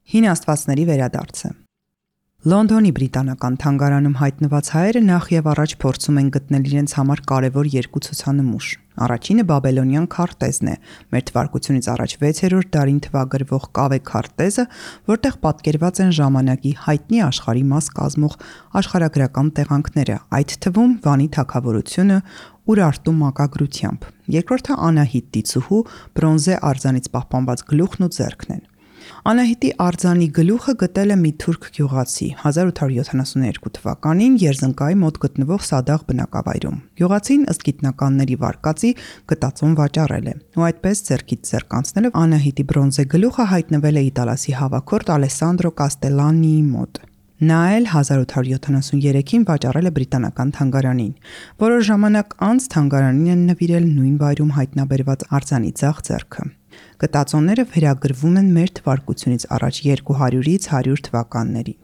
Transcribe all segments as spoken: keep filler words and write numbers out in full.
Հին աստվածների վերադարձը։ Լոնդոնի բրիտանական թանգարանում հայտնված հայերը նախ եւ առաջ փորձում են գտնել իրենց համար կարևոր երկու ցուցանմուշ։ Առաջինը բաբելոնյան քարտեզն է, մեր թվարկությունից առաջ վեցերորդ դարին թվագրվող կավե քարտեզը, որտեղ պատկերված են ժամանակի հայտնի աշխարհի մաս կազմող աշխարհագրական տեղանքները, այդ թվում Վանի թագավորությունը Ուրարտու մակագրությամբ։ Երկրորդը Անահիտ դիցուհու բրոնզե արձանից պահպանված գլուխն ու ձեռքն են։ Անահիտի արձանի գլուխը գտել է մի թուրք գյուղացի հազար ութ հարյուր յոթանասուններկու թվականին Երզնկայի մոտ գտնվող Սադաղ բնակավայրում։ Գյուղացին ըստ գիտնականների վարկածի գտածոն վաճառել է, ու այդպես ձեռքից ձեռք անցնելով Անահիտի բրոնզե գլուխը հայտնվել է իտալացի հավաքորդ Ալեսանդրո Կաստելանիի մոտ։ Նա էլ հազար ութ հարյուր յոթանասուներեքին վաճառել է բրիտանական թանգարանին։ Որոշ ժամանակ անց թանգարանին են նվիրել նույն վայրում հայտնաբերված արձանի ձախ ձեռքը։ Գտածոնները վերագրվում են մեր թվարկությունից առաջ երկու հարյուրից հարյուր թվականներին։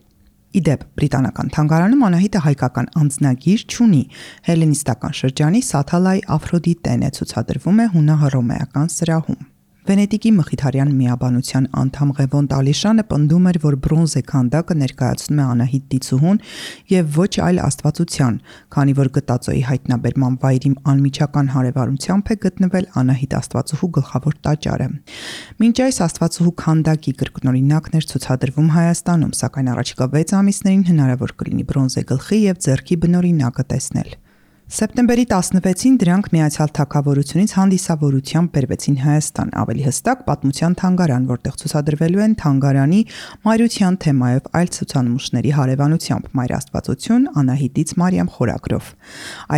Իդեպ բրիտանական թանգարանում Անահիտը հայկական անձնագիր չունի, հելենիստական շրջանի Սաթալայ Աֆրոդիտեն է ցուցադրվում է հունահռոմեական սրահում։ Վենետիկի Մխիթարյան միաբանության անդամ Ղևոն Տալիշյանը պնդում էր, որ բրոնզե քանդակը ներկայացնում է Անահիտ դիցուհուն եւ ոչ այլ աստվածության, քանի որ գտածոյի հայտնաբերման վայրի անմիջական հարևանությամբ է գտնվել Անահիտ աստվածուհու գլխավոր տաճարը։ Մինչ այս աստվածուհու քանդակի կրկնօրինակն էր ցուցադրվում Հայաստանում, սակայն առաջիկա վեց ամիսներին հնարավոր կլինի բրոնզե գլխի եւ ձեռքի բնօրինակը տեսնել։ Սեպտեմբերի տասնվեցին դրանք Միացյալ Թագավորությունից հանդիսավորությամբ բերվեցին Հայաստան, ավելի հստակ Պատմության թանգարան, որտեղ ցուցադրվելու են թանգարանի մայրության թեմայով այլ ցուցանմուշների հարևանությամբ Մայր Աստվածություն Անահիտից Մարիամ խորագրով։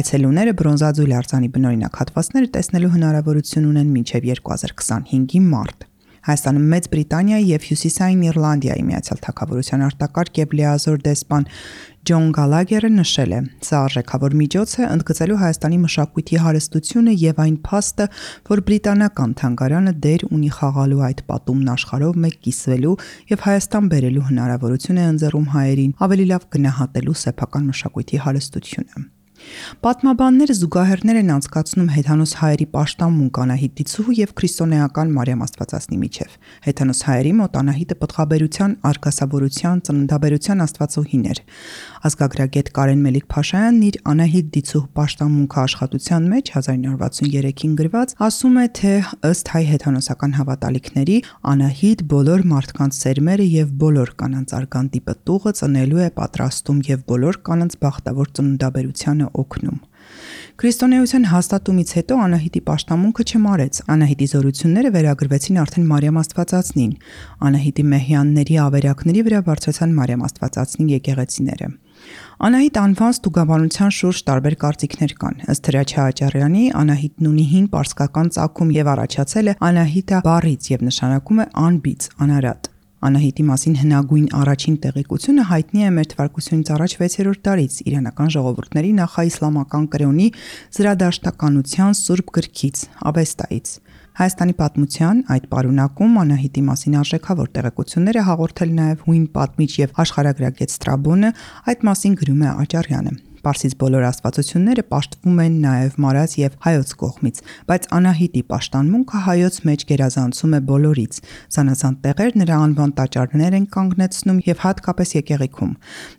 Այցելուները բրոնզաձուլ արձանի բնօրինակ հատվածները տեսնելու հնարավորություն ունեն մինչև երկու հազար քսանհինգի մարտ։ Հայաստանում Մեծ Բրիտանիայի եւ Հյուսիսային Իռլանդիայի Միացյալ Թագավորության արտակարգ եւ լիազոր դեսպան Ջոն Գալագերը նշել է. «Սա արժեքավոր միջոց է ընդգծելու Հայաստանի մշակույթի հարստությունը եւ այն փաստը, որ բրիտանական թանգարանը դեր ունի խաղալու այդ պատումն աշխարհով մեկ կիսվելու եւ Հայաստան բերելու հնարավորություն է ընձեռում հայերին ավելի լավ գնահատելու սեփական մշակույթի հարստությունը»։ Պատմաբանները զուգահեռներ են անցկացնում հեթանոս հայերի պաշտամունք Անահիտ դիցուհու եւ քրիստոնեական Մարիամ Աստվածածնի միջև։ Հեթանոս հայերի մոտ Անահիտը պտղաբերության, արգասավորության, ծննդաբերության աստվածուհին էր։ Ազգագրագետ Կարեն Մելիք-Փաշայանն իր Անահիտ դիցուհու պաշտամունքը աշխատության մեջ հազար ինը հարյուր վաթսուներեքին գրված ասում է, թե ըստ հայ հեթանոսական հավատալիքների Անահիտ բոլոր մարդկանց սերմերը եւ բոլոր կանանց արգանդի պտուղը ծնելու է պատրաստում եւ բոլոր կանանց բախտավոր ծննդաբերությանը օգնում։ Քրիստոնեության հաստատումից հետո Անահիտի պաշտամունքը չմարեց։ Անահիտի զորությունները վերագրվեցին արդեն Մարիամ Աստվածածնին։ Անահիտի մեհյանների ավերակների վրա բարձրացան Մարիամ Աստվածածնի եկեղեցիները։ Անահիտ անվան ստուգաբանության շուրջ տարբեր կարծիքներ կան։ Ըստ Հրաչյա Աճարյանի Անահիտն ունի հին պարսկական ծագում եւ առաջացել է Անահիտա բառից եւ նշանակում է անբիծ, անարատ։ Անահիտի մասին հնագույն առաջին տեղեկությունը հայտնի է մեր թվարկությունից առաջ վեցերորդ դարից իրանական ժողովուրդների նախաիսլամական կրոնի զրադաշտականության սուրբ գրքից Ավեստայից։ Հայաստանի պատմության այդ պարունակում Անահիտի մասին արժեքավոր տեղեկությունները հաղորդել նաև հույն պատմիչ եւ աշխարհագրագետ Ստրաբոնը, այդ մասին գրում է Աճարյանը։ Պարսից բոլոր աստվածությունները պաշտվում են նաև մարած եւ հայոց կողմից, բայց Անահիտի պաշտամունքը հայոց մեջ գերազանցում է բոլորից։ Զանազան տեղեր նրա անվան տաճարներ են կանգնեցնում եւ հատկապես եկեղեցում։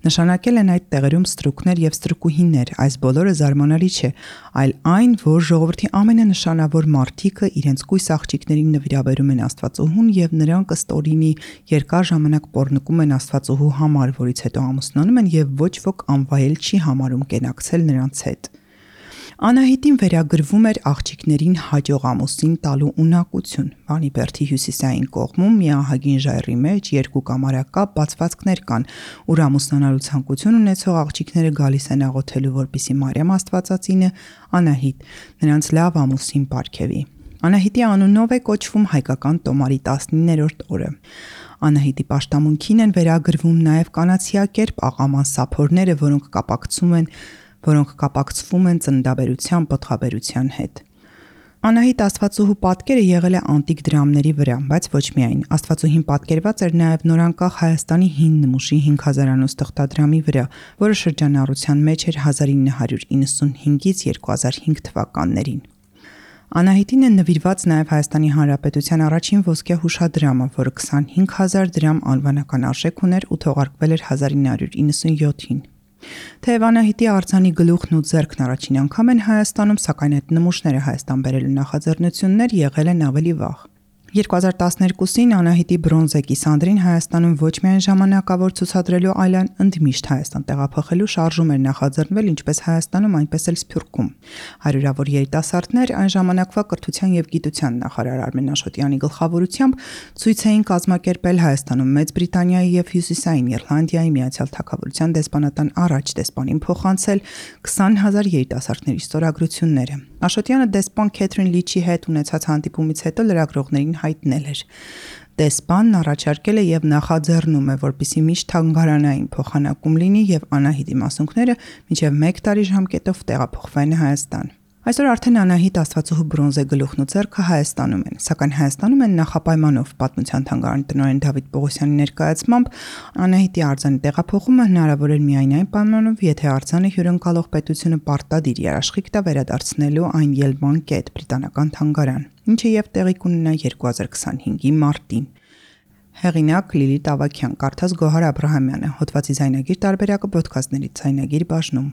Նշանակել են այդ տեղերում ստրուկներ եւ ստրուկուհիներ, այս բոլորը զարմանալի չէ, այլ այն, որ ժողովրդի ամենանշանավոր մարդիկը իրենց կույս աղջիկներին նվիրաբերում են Աստվածուհուն եւ նրանք ըստ օրինի երկար ժամանակ պոռնկում են Աստվածուհու համար, որից հետո ամուսնանում են եւ ոչ ոք անվայել չի համարում կենակցել նրանց հետ։ Անահիտին վերագրվում էր աղջիկներին հաջող ամուսին տալու ունակություն։ Վանի բերդի հյուսիսային կողմում մի ահագին ժայռի մեջ երկու կամարակապ բացվածքներ կան, ուր ամուսնանալու ցանկություն ունեցող աղջիկները գալիս են աղոթելու, որպեսզի Մարիամ Աստվածածինը Անահիտ նրանց լավ ամուսին պարգևի։ Անահիտի անունով է կոչվում հայկական տոմարի տասնիններորդ օրը։ Անահիտի պաշտամունքին են վերագրվում նաև կանացիակերպ աղաման սափորները, որոնք կապակցում են, որոնք կապակցվում են ծննդաբերության, պտղաբերության հետ։ Անահիտ Աստվածուհու պատկերը եղել է անտիկ դրամների վրա, բայց ոչ միայն։ Աստվածուհին պատկերված էր նաև նորանկախ Հայաստանի հին նմուշի հինգ հազարանոց թղթադրամի վրա, որը շրջանառության մեջ էր հազար ինը հարյուր իննսունհինգից երկու հազար հինգ թվականներին։ Անահիտին է նվիրված նաև Հայաստանի Հանրապետության առաջին ոսկե հուշադրամը, որը քսանհինգ հազար դրամ անվանական արժեք ուներ ու թողարկվել էր հազար ինը հարյուր իննսունյոթին։ Թեև Անահիտի արձանի գլուխն ու ձեռքն առաջին անգամ են Հայաստանում, սակայն այդ նմուշները Հայաստան բերելու նախաձեռնություններ եղել են ավելի վաղ։ երկու հազար տասներկուսին Անահիտի բրոնզե կիսանդրին Հայաստանում ոչ միայն ժամանակավոր ցուցադրելու, այլ ընդմիշտ Հայաստան տեղափոխելու շարժում էր նախաձեռնվել ինչպես Հայաստանում, այնպես էլ Սփյուռքում։ Հարյուրավոր երիտասարդներ այն ժամանակվա կրթության եւ գիտության նախարար Արմեն Աշոտյանի գլխավորությամբ ցույց էին կազմակերպել Հայաստանում Մեծ Բրիտանիայի եւ Հյուսիսային Իռլանդիայի Միացյալ Թագավորության դեսպանատան առաջ դեսպանին փոխանցել քսան հազար երիտասարդների ստորագրությունները։ Աշոտյանը դեսպան Քեթրին Լիչի հետ ունեցած հանդիպումից հետո լրագրողներին հայտնել էր. Դեսպանն առաջարկել է եւ նախաձեռնում է, որպեսզի միշտ թանգարանային փոխանակում լինի եւ Անահիտի մասունքները մինչեւ մեկ տարի ժամկետով տեղափոխվեն Հայաստան։ Այսօր արդեն Անահիտ Աստվածուհու բրոնզե գլուխն ու ձեռքը Հայաստանում են, սակայն Հայաստանում են նախապայմանով պատմության թանգարանի տնօրեն Դավիթ Պողոսյանի ներկայացմամբ Անահիտի արձանի տեղափոխումը հնարավոր էր միայն այն պայմանով, եթե արձանը հյուրընկալող պետությունը պարտադիր երաշխիք տա վերադարձնելու այն ելման կետ բրիտանական թանգարան, ինչը եւ տեղի կունենա երկու հազար քսանհինգի մարտին։ Հեղինակ Լիլիթ Ավագյան, կարդաց Գոհար Աբրահամյանը, հոդվածի ձայնագիր տարբերակը ոդքասթների ձայնագիր բաժնում։